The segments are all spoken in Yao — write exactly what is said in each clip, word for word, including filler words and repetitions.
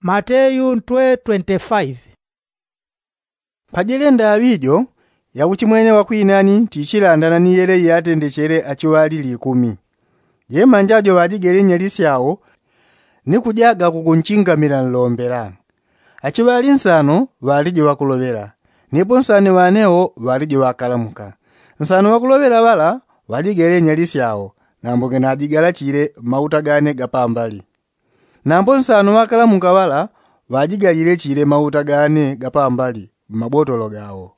Mateyu ntwe twenty-five. Pajele ndaŵi jo, yakuchimwene wakwinani tichilandana ni yele yatendechele achiŵali likumi. Jemanja jo ŵajigele nyali syao ni kujaga kukunchingamila nlombela. Achiŵali nsano ŵalije ŵakuloŵela, nipo nsano ŵanewo ŵalije ŵakalamuka. Nsano ŵakuloŵela ŵala ŵajigele nyali syao, nambo ngenajigalachile mauta gane gapambali. Nambo nsano ŵakalamuka ŵala ŵajigalile chile mauta gane gapambali mmabotolo gao.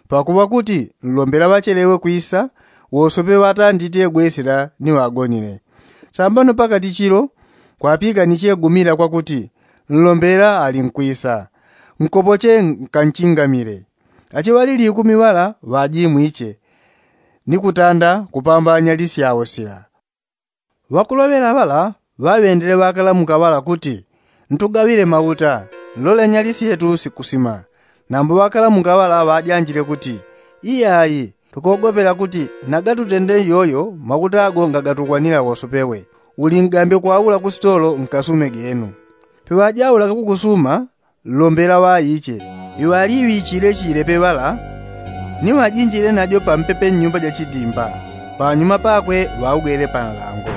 Pakuŵa kuti nlombela ŵachelewe kwisa, wosope ŵatandite gwesela ni ŵagonile. Sambano pakati chilo kwapikaniche gumila kwakuti nlombela ali nkwisa. Nkopoche nkanchingamile. Achiŵali likumi ŵala ŵajimwiche ni kutanda kupambanya lisyawo sila. Ŵakuloŵela ŵala ŵaŵendele ŵakalamuka ŵala kuti, ntugaŵile mauta, nlole nyali syetu sikusima. Nambo ŵakalamuka ŵala ŵajanjile kuti, iyayi, tukogopela kuti nagatutende iyoyo mauta ago ngagatugwanila wosopewe. Uli ngambe kwaula kusitolo nkasume genu. Peŵajaulaga kukusuma, nlombela ŵaiche. Iŵaliŵichile chile peŵala ni ŵajinjile najo pampepe nnyumba jachidimba, panyuma pakwe ŵaugele panlango.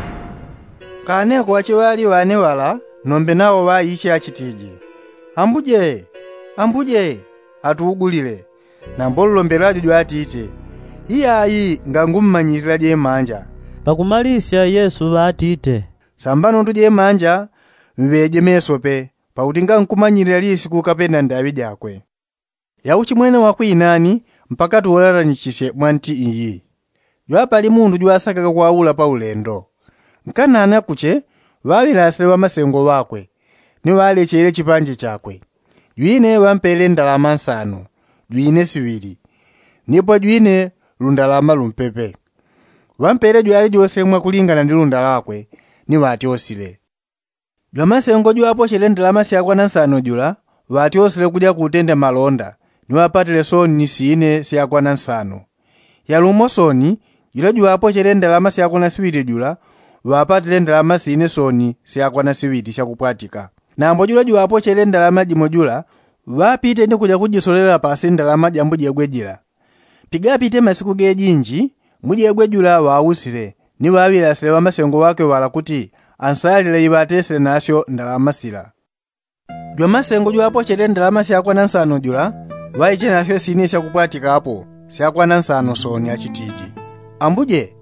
Kaneko achiŵali ŵane ŵala nombe nawo ŵaiche achitije, ambuje, ambuje, atuugulile. Nambo nlombela jo jwatite, iyayi, ngangummanyilila jemanja. Pakumalisya yesu ŵatite, sambano ntu jemanja mŵeje mesope, pakuti ngankumanyilila lisiku kapena ndaŵi jakwe. Yauchimwene wakwinani mpaka tuwolanichisye mwa nti iyi. Jwapali mundu jwasakaga kwaula paulendo. Nkanana kuche ŵaŵilasile ŵamasengo ŵakwe, ni ŵalechele chipanje chakwe. Jwine ŵampele ndalama nsano, jwine siŵili, nipo jwine lundalama lumpepe. Ŵampele jwalijose mwakulingana ni lunda lakwe, ni ŵatyosile. Jwamasengo jwapochele ndalama syakwana nsano jula ŵatyosile kuja kutenda malonda, ni ŵapatile soni sine syakwana nsano. Yalumo soni jula jwapochele ndalama syakwana siŵili jula ŵapatile ndalama sine soni syakwana siŵili syakupwatika. Nambo jula jwapochele ndalama jimo jula ŵapite ni kuja kujisolela pasi ndalama ja mbujegwe jila. Pigapite masiku gejinji, mbujegwe jula ŵausile, ni ŵaŵilasile ŵamasengo ŵakwe ŵala kuti ansalile iŵatesile nasyo ndalama sila. Jwamasengo jwapochele ndalama syakwana nsano jula ŵaiche nasyo sine syakupwatikapo syakwana nsano soni achitije, ambuje,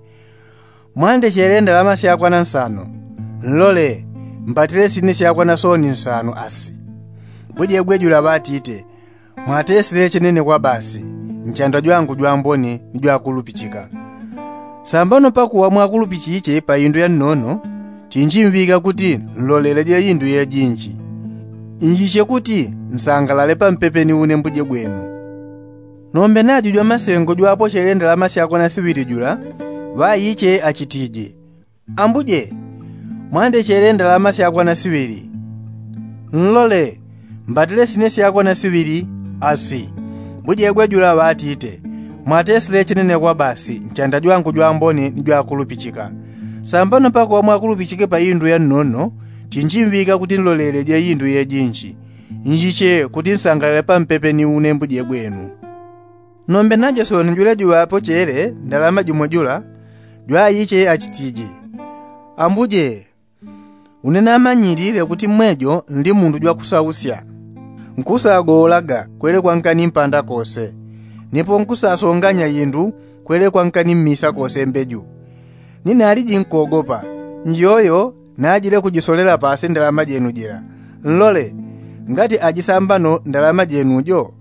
mwandechele ndalama syakwana nsano, nlole, mpatile sine syakwana soni nsano asi. Mbujegwe jula ŵatite, mwatesile chenene kwa basi, nchanda jwangu jwambone ni jwakulupichika. Sambano pakuŵa mwakulupichiche pa indu ya nnono, chinjimŵika kuti nloleleje indu yejinji, njiche kuti nsangalale pampepe ni une mbuje gwenu. Nombe najo jwamasengo jwapochele ndalama syakwana siŵili jula ŵaiche achitije, ambuje, mwandechele ndalama syakwana siŵili, nlole, mbatile sine syakwana siŵili asi. Mbujegwe jula ŵatite, mwatesile chenene kwa basi nchanda jwangu jwambone ni jwakulupichika. Sambano pakuŵa mwakulupichike pa indu ya nnono, chinjimŵika kuti nloleleje indu yejinji, njiche kuti nsangalale pampepe ni une mbuje gwenu. Nombe najo soni jula juŵapochele ndalama jimo jula jwaiche achitije, ambuje, une namanyilile kuti mwejo nli mundu jwakusausya, nkusagowolaga kwele kwankani mpanda kose, nipo nkusasonganya indu kwele kwankani mmisa kose mbeju. Ni naliji nkogopa, njoyo najile kujisolela pasi ndalama jenu jila, nlole, ngati ajisambano ndalama jenu jo.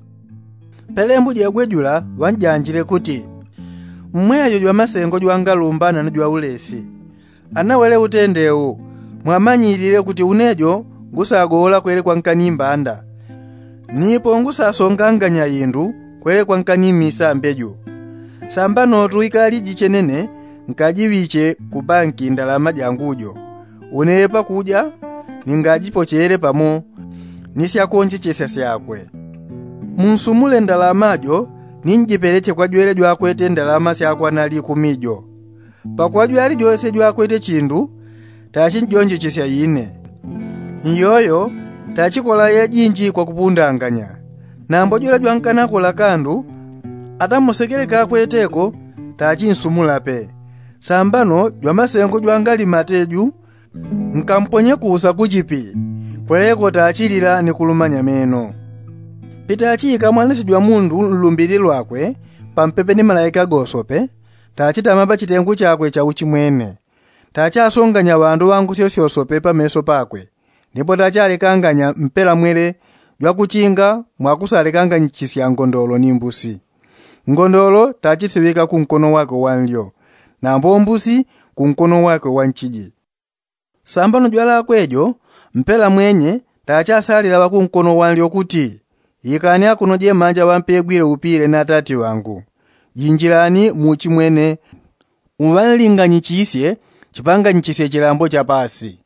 Pele mbujegwe jula ŵanjanjile kuti, mmwejo jwamasengo jwangalumbana ni jwaulesi. Ana wele utende u, mwamanyilile kuti une jo ngusagowola kwele kwankani mbanda, nipo ngusasonganganya indu kwele kwankani mmisa mbeju. Sambano tuikaliji chenene nkajiŵiche ku banki ndalama jangu jo, une pakuja ningajipochele pamo ni syakonjechesya syakwe. Munsumule ndalama jo ninjipeleche kwa jwele jwakwete ndalama syakwana likumi jo. Pakuŵa jwali jose jwakwete chindu tachinjonjechesya ine. Iyoyo Tachikola yajinji kwa kupundanganya. Nambo jwela jwankanakola kandu atamusekele kakweteko tachinsumulape. Sambano jwamasengo jwangali mateju nkamponye kusa kuchipi. Kweleko tachilila ni kulumanya meno. Pitachika mwanesi jwamundu nlumbili lwakwe pampepe ni malaika gosope, tachitama pachitengu chakwe cha uchimwene. Tachasonganya ŵandu ŵangusyo syosope pameso pakwe. Ndipo tachalekanganya mpela mwele jwakuchinga mwakusalekanganyichisia ngondolo ni mbusi. Ngondolo tachisiŵika kunkono wakwe wanlyo, nambo mbusi kunkono wakwe wanchiji. Sambano jwalakwe jo mpela mwenye tachasalila ŵakunkono wanlyo kuti, ikani akuno jemanja ŵampegwile upile na tati ŵangu. Jinjilani muchimwene, uŵanlinganyichisye chipanganyichisye chilambo cha pasi.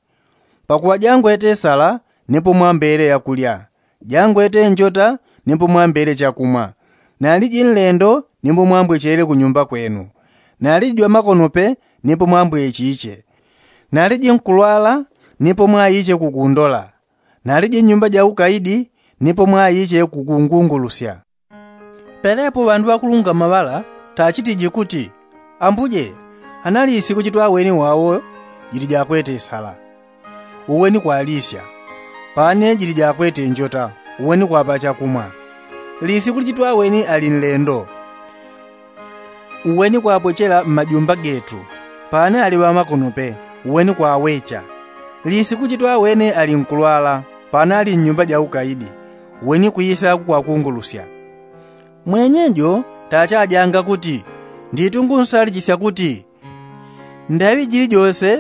Pakuŵa jangwete sala nipo mwambele yakulya, jangwete njota nipo mwambele chakumwa. Naliji nlendo nipo mwambwechele kunyumba kwenu. Naliji jwamakonope nipo mwambwechiche. Naliji nkulwala nipo mwaiche kukundola. Naliji nnyumba ja ukaidi nipo mwaiche kukungungulusya. Pelepo ŵandu ŵakulungama ŵala tachitiji kuti, ambuje, anali isiku chitwaweni wawo jili jakwete sala, uweni kwalisya. Pane jili jakwete njota, uweni kwapa chakumwa. Lisiku lichitwaweni ali nlendo, uweni kwapwechela mmajumba getu. Pane ali ŵamakonope, uweni kwawecha. Lisiku chitwaweni ali nkulwala, pane ali nnyumba ja ukaidi, uweni kwisa kukwakungulusya. Mwenyejo tachajanga kuti, nditu ngunsalichisya kuti, ndaŵi jili jose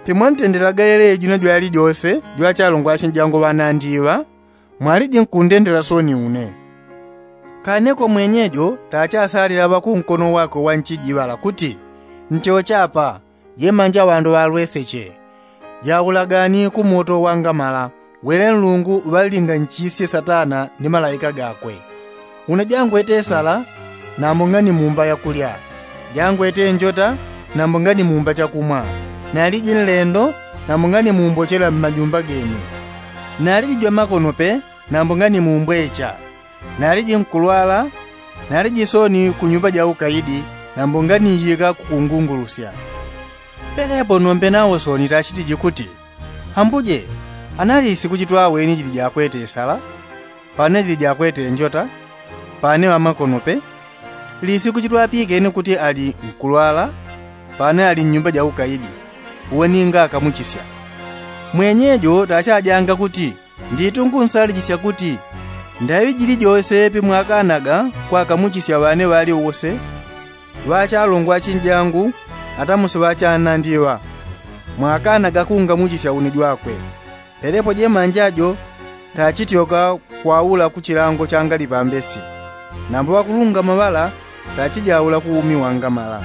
pemwantendelaga yele jino jwali jose jwachalongwa achinjangu ŵanandi iŵa, mwaliji nkundendela soni une. Kaneko mwenyejo tachasalila ŵakunkono wakwe wanchiji ŵala kuti, nchochapa jemanja ŵandu ŵalweseche. Jaulagani ku moto wangamala, wele nlungu ŵalinganyichisye satana ni malaika gakwe. Una jangwete sala, nambo ngani mumba yakulya. Jangwete njota, nambo ngani mumba chakumwa. Naliji nlendo, nambo ngani mumbochela mmajumba genu. Naliji jwamakonope, nambo ngani mumbwecha. Naliji nkulwala, naliji soni kunyumba ja ukaidi, nambo nganiyika kukungungulusya. Pelepo nombe nawo soni tachitiji kuti, ambuje, anali lisiku chitwaweni jili jakwete sala, pane jili jakwete njota, pane ŵamakonope. Lisiku chitwapikeni kuti ali nkulwala, pane ali nnyumba ja ukaidi, uweni ngakamuchisya. Mwenyejo tachajanga kuti, nditu ngunsalichisya kuti, ndaŵi jili jose pemwakanaga kwakamuchisya ŵane ŵali wose ŵachalongwa achinjangu, atamusi ŵachanandi iŵa, mwakanaga kungamuchisya une jwakwe. Pelepo jemanja jo tachityoka kwaula ku chilango changali pambesi. Nambo ŵakulungama ŵala tachijaula ku umi wangamala.